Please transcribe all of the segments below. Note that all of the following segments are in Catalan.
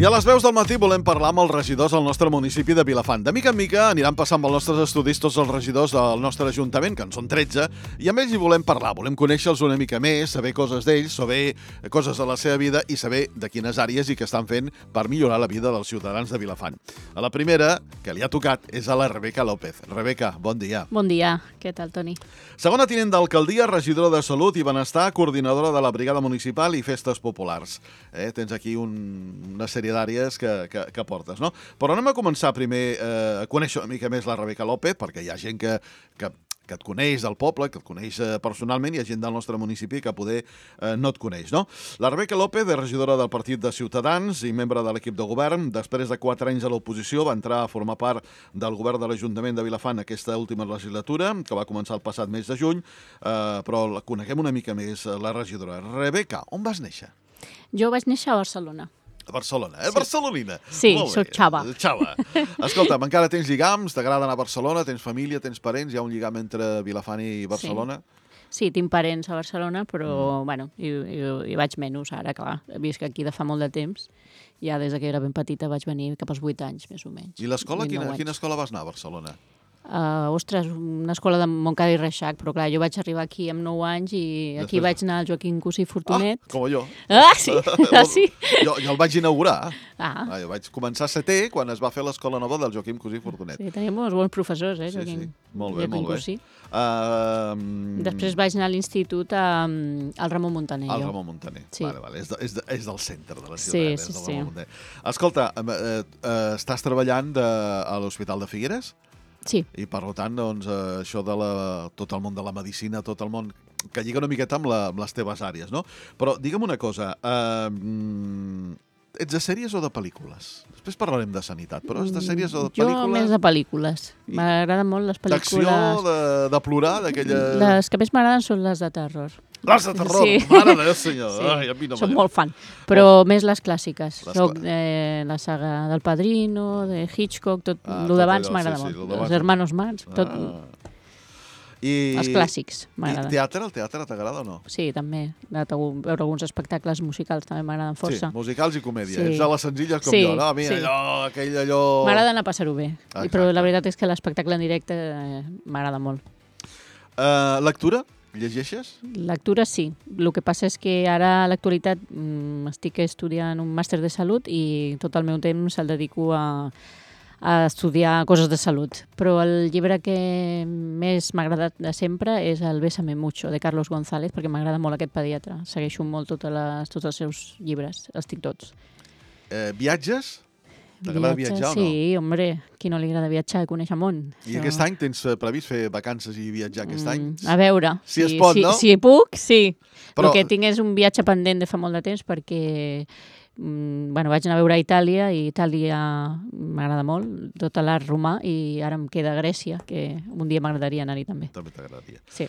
I a les veus del matí volem parlar amb els regidors del nostre municipi de Vilafant. De mica en mica aniran passant pels nostres estudis tots els regidors del nostre ajuntament, que en són 13, i amb ells hi volem parlar. Volem conèixer-los una mica més, saber coses d'ells, saber coses de la seva vida i saber de quines àrees i què estan fent per millorar la vida dels ciutadans de Vilafant. A la primera, que li ha tocat, és a la Rebeca López. Rebeca, bon dia. Bon dia. Què tal, Toni? Segona tinent d'alcaldia, regidora de Salut i Benestar, coordinadora de la Brigada Municipal i Festes Populars. Tens aquí una sèrie d'àrees que portes, no? Però anem a començar primer a conèixer una mica més la Rebeca López, perquè hi ha gent que et coneix del poble, que et coneix personalment, i hi ha gent del nostre municipi que poder no et coneix, no? La Rebeca López és regidora del Partit de Ciutadans i membre de l'equip de govern. Després de 4 anys a l'oposició va entrar a formar part del govern de l'Ajuntament de Vilafant aquesta última legislatura, que va començar el passat mes de juny, però la coneguem una mica més, la regidora. Rebeca, on vas néixer? Jo vaig néixer a Barcelona. A Barcelona, Sí. Barcelonina. Sí, Molt bé. soc xava. Xava. Escolta'm, encara tens lligams? T'agrada anar a Barcelona? Tens família? Tens parents? Hi ha un lligam entre Vilafant i Barcelona? Sí, tinc parents a Barcelona, però, bueno, hi vaig menys ara, clar. Visc aquí de fa molt de temps. Ja des que era ben petita vaig venir cap als 8 anys, més o menys. I l'escola? 8, 9 anys. Quina escola vas anar a Barcelona? Ostres, una escola de Montcada i Reixac, però clar, jo vaig arribar aquí amb 9 anys i aquí Després- vaig anar al Joaquim Cusí Fortunet. Com jo. Ah, sí? Ah, sí? Jo el vaig inaugurar. Ah, Jo vaig començar a setè quan es va fer l'escola nova del Joaquim Cusí Fortunet. sí, teníem uns bons professors, Sí, Joaquim. sí. Molt bé, Joaquim molt bé. Cusí. Mm, Després vaig anar a l'institut al Ramon Muntaner. Al jo. Ramon Muntaner. Sí. Vale. És del centre de la Sí, ciutat. sí, és del sí. Ramon Muntaner. Escolta, estàs treballant a l'Hospital de Figueres? Sí. I per tant, doncs, això de tot el món de la medicina, tot el món que lliga una miqueta amb les teves àrees, no? Però digue'm una cosa, ets de sèries o de pel·lícules? Després parlarem de sanitat, però és de sèries o de Jo pel·lícules? més de pel·lícules. M'agraden molt les pel·lícules. D'acció, de plorar, d'aquella... Les que més m'agraden són les de terror. Les de terror, Sí. mare de Déu, senyor. Sí. Ai, a mi no Soc m'agrada. molt fan, però més les clàssiques. Les Soc la saga del Padrino, de Hitchcock, tot Ah, el tot d'abans allò, m'agrada sí, molt. lo d'abans. Els Hermanos Marx, tot, els I clàssics I m'agraden. teatre? El teatre t'agrada o no? Sí, també. He anat a veure alguns espectacles musicals, també m'agraden força. Sí, musicals i comèdia. Sí. Ets de les senzilles com Sí, jo, no? A mi sí. allò... M'agrada anar a passar-ho bé, Exacte. però la veritat és que l'espectacle en directe m'agrada molt. Lectura? Llegeixes? Lectura sí. El que passa és que ara a l'actualitat estic estudiant un màster de salut i tot el meu temps el dedico a estudiar coses de salut. Però el llibre que més m'ha agradat de sempre és el Bésame mucho, de Carlos González, perquè m'agrada molt aquest pediatre. Segueixo molt tots els seus llibres, els tinc tots. Viatges? T'agrada viatjar o no? Sí, hombre, qui no li agrada viatjar i conèixer món? I aquest any tens previst fer vacances i viatjar aquest any? A veure, Si es pot, no? Si puc, sí. Però- El que tinc és un viatge pendent de fa molt de temps perquè vaig anar a veure a Itàlia i Itàlia m'agrada molt, tot l'art romà, i ara em queda Grècia, que un dia m'agradaria anar-hi també. També t'agradaria. Sí.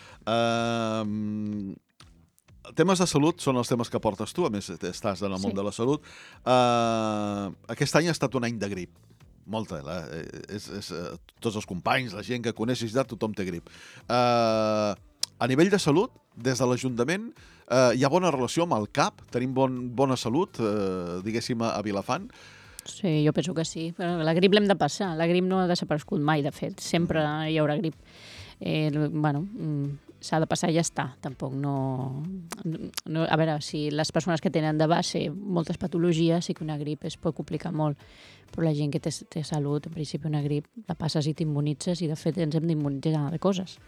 Temes de salut són els temes que portes tu, a més estàs en el món Sí. de la salut. Aquest any ha estat un any de grip. Molta. Tots els companys, la gent que coneixes, tothom té grip. A nivell de salut, des de l'Ajuntament, hi ha bona relació amb el CAP? Tenim bona salut, diguéssim, a Vilafant? Sí, jo penso que sí. Però la grip l'hem de passar. La grip no ha desaparegut mai, de fet. Sempre hi haurà grip. S'ha de passar i ja està. Tampoc no... A veure, si les persones que tenen de base moltes patologies, sí que una grip es pot complicar molt. Però la gent que té salut, en principi una grip, la passes i t'immunitzes, i de fet ens hem d'immunitzar de coses.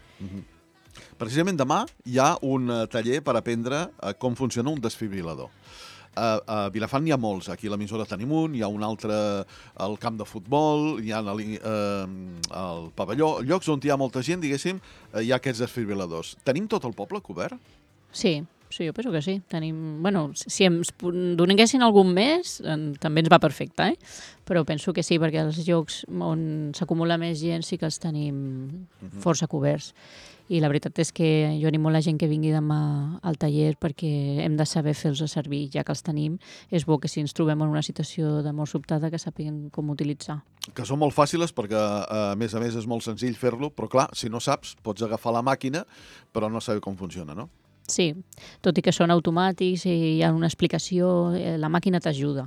Precisament demà hi ha un taller per aprendre com funciona un desfibrilador. A Vilafant n'hi ha molts. Aquí a l'emissora tenim un, hi ha un altre al camp de futbol, hi ha al pavelló, llocs on hi ha molta gent, diguéssim, hi ha aquests desfibriladors. Tenim tot el poble cobert? Sí, jo penso que sí. Tenim... Bueno, si ens donessin algun mes, també ens va perfecte, Però penso que sí, perquè els llocs on s'acumula més gent sí que els tenim força coberts. I la veritat és que jo animo la gent que vingui demà al taller perquè hem de saber fer-los servir, ja que els tenim. És bo que si ens trobem en una situació de mort sobtada que sàpiguen com utilitzar. Que són molt fàcils perquè, a més, és molt senzill fer-lo, però clar, si no saps, pots agafar la màquina, però no saber com funciona, no? Sí, tot i que són automàtics i hi ha una explicació, la màquina t'ajuda.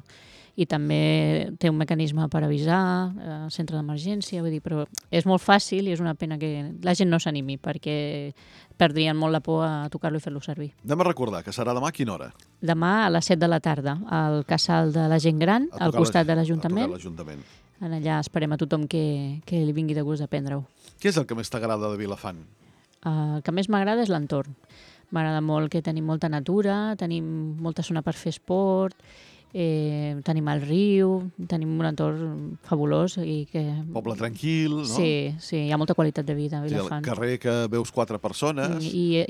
i també té un mecanisme per avisar, centre d'emergència, vull dir, però és molt fàcil i és una pena que la gent no s'animi perquè perdrien molt la por a tocar-lo i fer-lo servir. Anem a recordar que serà demà a quina hora? Demà a les 7 de la tarda, al casal de la gent gran, al costat de l'Ajuntament. Allà esperem a tothom que li vingui de gust aprendre-ho. Què és el que més t'agrada de Vilafant? El que més m'agrada és l'entorn. M'agrada molt que tenim molta natura, tenim molta zona per fer esport, tenim el riu, tenim un entorn fabulós. Poble tranquil, no? Sí, hi ha molta qualitat de vida a Vilafant. El carrer que veus 4 persones. I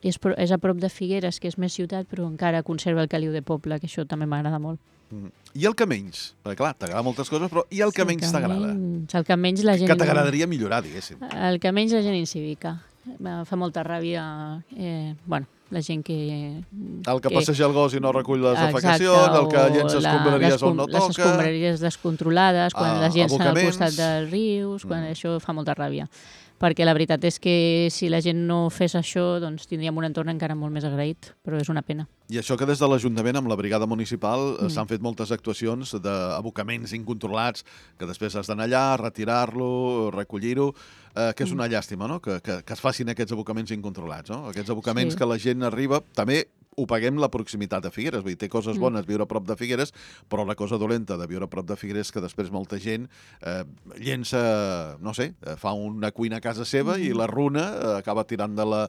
és a prop de Figueres, que és més ciutat, però encara conserva el caliu de poble, que això també m'agrada molt. I el que menys? Perquè clar, t'agrada moltes coses, però i el que menys t'agrada? El que menys la gent... Que t'agradaria millorar, diguéssim. El que menys la gent incívica. Fa molta ràbia, la gent que... El que passeja el gos i no recull les defecacions, el que llença escombraries on no toca... Les escombraries descontrolades, quan la gent està al costat dels rius, quan això fa molta ràbia. Perquè la veritat és que si la gent no fes això, doncs tindríem un entorn encara molt més agraït, però és una pena. I això que des de l'Ajuntament, amb la brigada municipal, s'han fet moltes actuacions d'abocaments incontrolats, que després has d'anar allà, retirar-lo, recollir-ho, que és una llàstima, no?, que es facin aquests abocaments incontrolats, no? Aquests abocaments que la gent arriba... També ho paguem la proximitat a Figueres, vull dir, té coses bones viure a prop de Figueres, però la cosa dolenta de viure a prop de Figueres és que després molta gent llença, no sé, fa una cuina a casa seva i la runa acaba tirant-la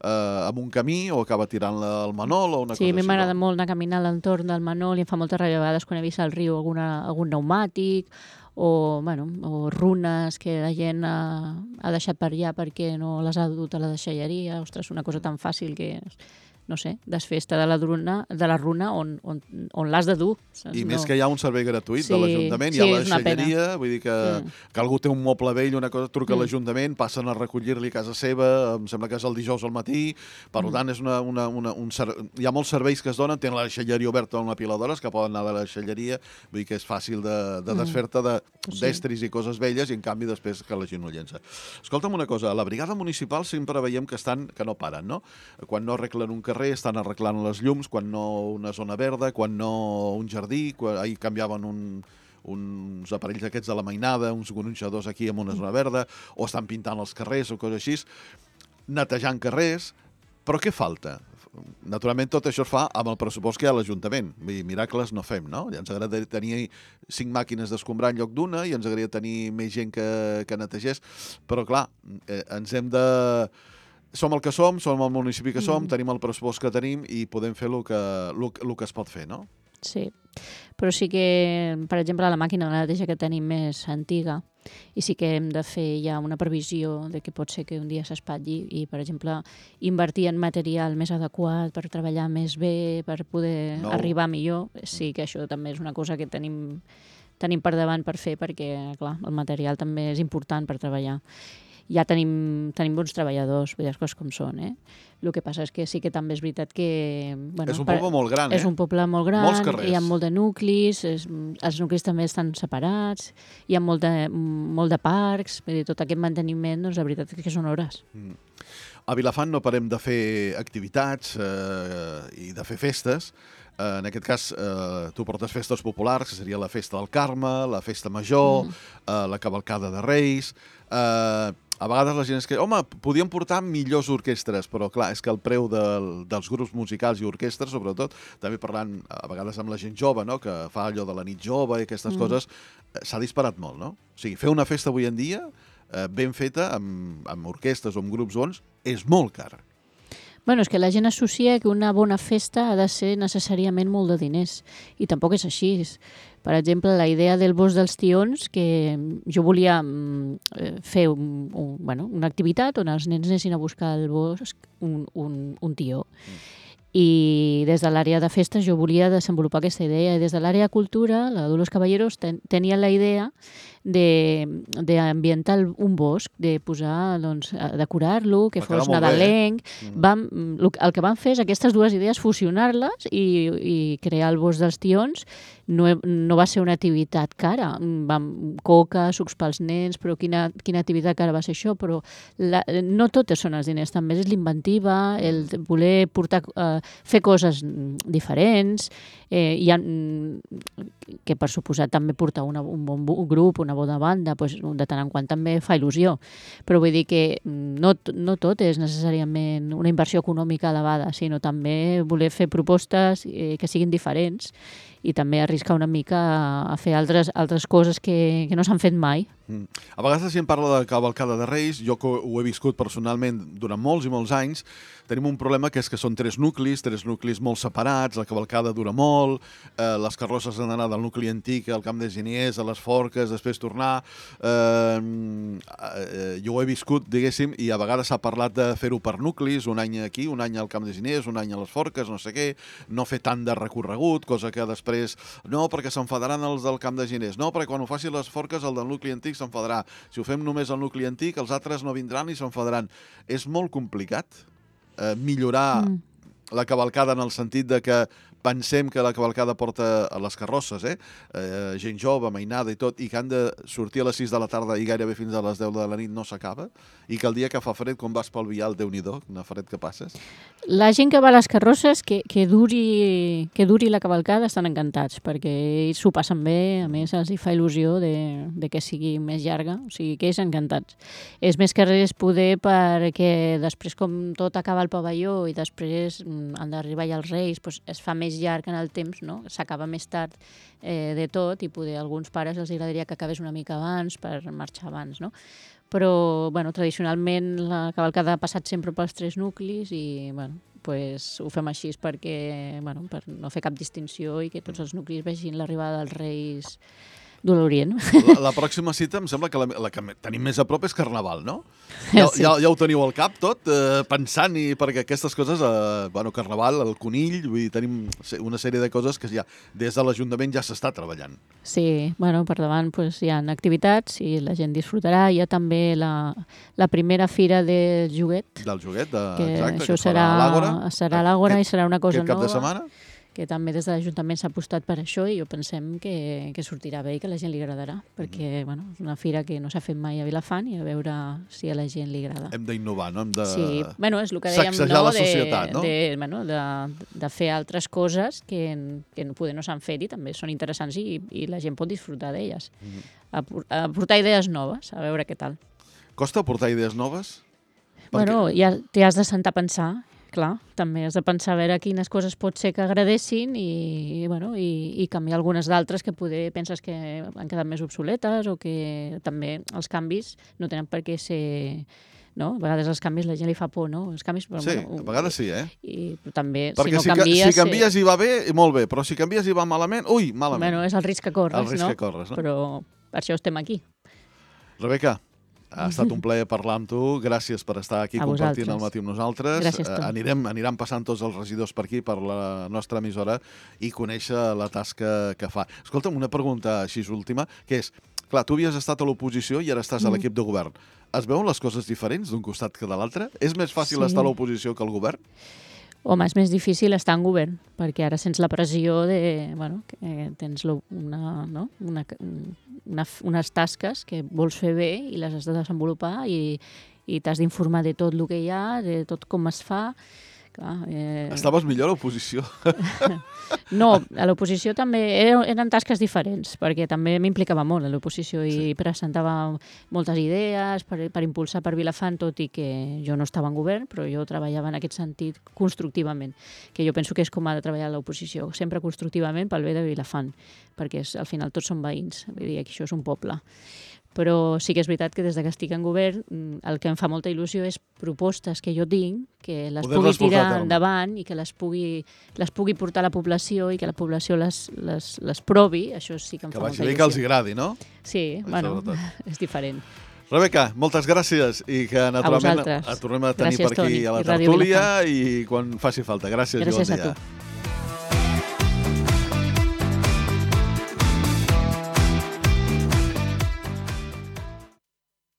amb un camí o acaba tirant-la al Manol o una cosa així. Sí, a mi m'agrada molt anar a caminar a l'entorn del Manol i em fa molta ràbia a vegades quan he vist al riu algun pneumàtic o runes que la gent ha deixat per allà perquè no les ha dut a la deixalleria. Ostres, una cosa tan fàcil que... no sé, desfesta de la runa on l'has de dur. I més que hi ha un servei gratuït de l'Ajuntament, hi ha la deixalleria, vull dir que algú té un moble vell, una cosa, truca a l'Ajuntament, passen a recollir-li a casa seva, em sembla que és el dijous al matí, per tant, hi ha molts serveis que es donen, tenen la deixalleria oberta una pila d'hores, que poden anar de la deixalleria, vull dir que és fàcil de desfer-te d'estris i coses velles, i en canvi després que la gent no llença. Escolta'm una cosa, a la brigada municipal sempre veiem que no paren, no? Quan no arreglen un carrer, estan arreglant les llums, quan no una zona verda, quan no un jardí, ahir canviaven uns aparells aquests de la mainada, uns gronxadors aquí amb una zona verda, o estan pintant els carrers o coses així, netejant carrers, però què falta? Naturalment tot això es fa amb el pressupost que hi ha a l'Ajuntament. Miracles no fem, no? Ja ens agradaria tenir 5 màquines d'escombrar en lloc d'una i ens agradaria tenir més gent que netegés, però clar, ens hem de... Som el que som el municipi que som, tenim el pressupost que tenim i podem fer el que es pot fer, no? Sí, però sí que, per exemple, la màquina de neteja que tenim més antiga i sí que hem de fer ja una previsió de que pot ser que un dia s'espatlli i, per exemple, invertir en material més adequat per treballar més bé, per poder arribar millor. Sí que això també és una cosa que tenim per davant per fer perquè, clar, el material també és important per treballar. Ja tenim bons treballadors, vull dir, les coses com són, El que passa és que sí que també és veritat que... És un poble molt gran, És un poble molt gran, hi ha molt de nuclis, els nuclis també estan separats, hi ha molt de parcs, vull dir, tot aquest manteniment, doncs la veritat és que són hores. A Vilafant no parem de fer activitats i de fer festes. En aquest cas, tu portes festes populars, que seria la Festa del Carme, la Festa Major, la Cavalcada de Reis... A vegades la gent és que, home, podíem portar millors orquestres, però clar, és que el preu dels grups musicals i orquestres, sobretot, també parlant a vegades amb la gent jove, no?, que fa allò de la nit jove i aquestes coses, s'ha disparat molt, no? O sigui, fer una festa avui en dia, ben feta, amb orquestres o amb grups bons, és molt car. Bueno, és que la gent associa que una bona festa ha de ser necessàriament molt de diners, i tampoc és així. Per exemple, la idea del Bosc dels Tions, que jo volia fer una activitat on els nens anessin a buscar al bosc un tió. I des de l'àrea de festes jo volia desenvolupar aquesta idea. I des de l'àrea de cultura, la Dolors Caballeros tenia la idea d'ambientar un bosc, de posar, doncs, decorar-lo, que fos nadalenc. El que van fer és aquestes dues idees, fusionar-les i crear el Bosc dels Tions. No va ser una activitat cara. Coca, sucs pels nens, però quina activitat cara va ser això? Però no totes són els diners, també és l'inventiva, el voler portar fer coses diferents, que per suposat també portar un bon grup, una bona banda, doncs, de tant en quant també fa il·lusió. Però vull dir que no tot és necessàriament una inversió econòmica elevada, sinó també voler fer propostes que siguin diferents i també arriscar una mica a fer altres coses que no s'han fet mai. A vegades la gent parla de cavalcada de Reis, jo que ho he viscut personalment durant molts i molts anys, tenim un problema que és que són tres nuclis molt separats, la cavalcada dura molt, les carrosses han d'anar del nucli antic al Camp de Giniers, a les Forques, després tornar. Jo ho he viscut, diguéssim, i a vegades s'ha parlat de fer-ho per nuclis, un any aquí, un any al Camp de Giniers, un any a les Forques, no sé què, no fer tant de recorregut, cosa que després, no, perquè s'enfadaran els del Camp de Giniers, no, perquè quan ho faci les Forques el del nucli antic s'enfadarà. Si ho fem només al nucli antic, els altres no vindran i s'enfadaran. És molt complicat millorar la cavalcada en el sentit de que pensem que la cavalcada porta a les carrosses, gent jove, mainada i tot, i que han de sortir a les 6 de la tarda i gairebé fins a les 10 de la nit no s'acaba, i que el dia que fa fred, quan vas pel vial, Déu-n'hi-do, quina fred que passes. La gent que va a les carrosses, que duri la cavalcada, estan encantats, perquè ells s'ho passen bé, a més els hi fa il·lusió de que sigui més llarga, o sigui que ells encantats. És més que res poder perquè després com tot acaba al pavelló i després han d'arribar ja els Reis, doncs es fa més llarg en el temps, no? S'acaba més tard de tot i poder a alguns pares els agradaria que acabés una mica abans per marxar abans, no? Però, bueno, tradicionalment la cavalcada ha passat sempre pels tres nuclis i, bueno, pues, ho fem així perquè, bueno, per no fer cap distinció i que tots els nuclis vegin l'arribada dels Reis de l'Orient. La pròxima cita em sembla que la que tenim més a prop és Carnaval, no? Sí. Ja ho teniu al cap tot, pensant, i perquè aquestes coses, Carnaval, el conill, vull dir, tenim una sèrie de coses que ja des de l'Ajuntament ja s'està treballant. Sí, bueno, per davant pues, hi ha activitats i la gent disfrutarà. Hi ha també la primera fira del joguet. Del joguet, que exacte, això serà a l'Àgora i serà una cosa nova. Aquest cap de setmana? Que també des de l'Ajuntament s'ha apostat per això i jo pensem que sortirà bé i que a la gent li agradarà, perquè bueno, és una fira que no s'ha fet mai a Vilafant i a veure si a la gent li agrada. Hem d'innovar, no? Hem de és el que dèiem, sacsejar la societat, no? De fer altres coses que poder no s'han fet i també són interessants i la gent pot disfrutar d'elles. Aportar idees noves, a veure què tal. Costa aportar idees noves? Bueno, ja t'hi has de sentar a pensar. Clar, també has de pensar a veure quines coses pot ser que agradessin i canviar algunes d'altres que poder penses que han quedat més obsoletes o que també els canvis no tenen per què ser... No? A vegades els canvis la gent li fa por, no? Els canvis, però, sí, a vegades sí, però també, perquè si no canvies... Si canvies i va bé, molt bé, però si canvies i va malament, malament. Bueno, és el risc que corres, el risc que corres, no? Però per això estem aquí. Rebeca, ha estat un plaer parlar amb tu. Gràcies per estar aquí compartint el matí amb nosaltres. Gràcies tu. Aniran passant tots els regidors per aquí, per la nostra emissora, i conèixer la tasca que fa. Escolta'm, una pregunta així última, que és, clar, tu havies estat a l'oposició i ara estàs a l'equip de govern. Es veuen les coses diferents d'un costat que de l'altre? És més fàcil estar a l'oposició que al govern? Home, és més difícil estar en govern, perquè ara sents la pressió de... Bueno, que tens unes tasques que vols fer bé i les has de desenvolupar i t'has d'informar de tot el que hi ha, de tot com es fa. Clar, Estaves millor a l'oposició? No, a l'oposició també eren tasques diferents, perquè també m'implicava molt a l'oposició i presentava moltes idees per impulsar per Vilafant, tot i que jo no estava en govern, però jo treballava en aquest sentit constructivament, que jo penso que és com ha de treballar l'oposició, sempre constructivament pel bé de Vilafant, perquè al final tots són veïns, vull dir que això és un poble. Però sí que és veritat que des que estic en govern el que em fa molta il·lusió és propostes que jo tinc, que les pugui tirar endavant i que les pugui portar a la població i que la població les provi, això sí que em fa molta il·lusió. Que vagi bé que els agradi, no? Sí, bueno, és diferent. Rebeca, moltes gràcies i que naturalment et tornem a tenir per aquí a la tertúlia i quan faci falta. Gràcies i bon dia.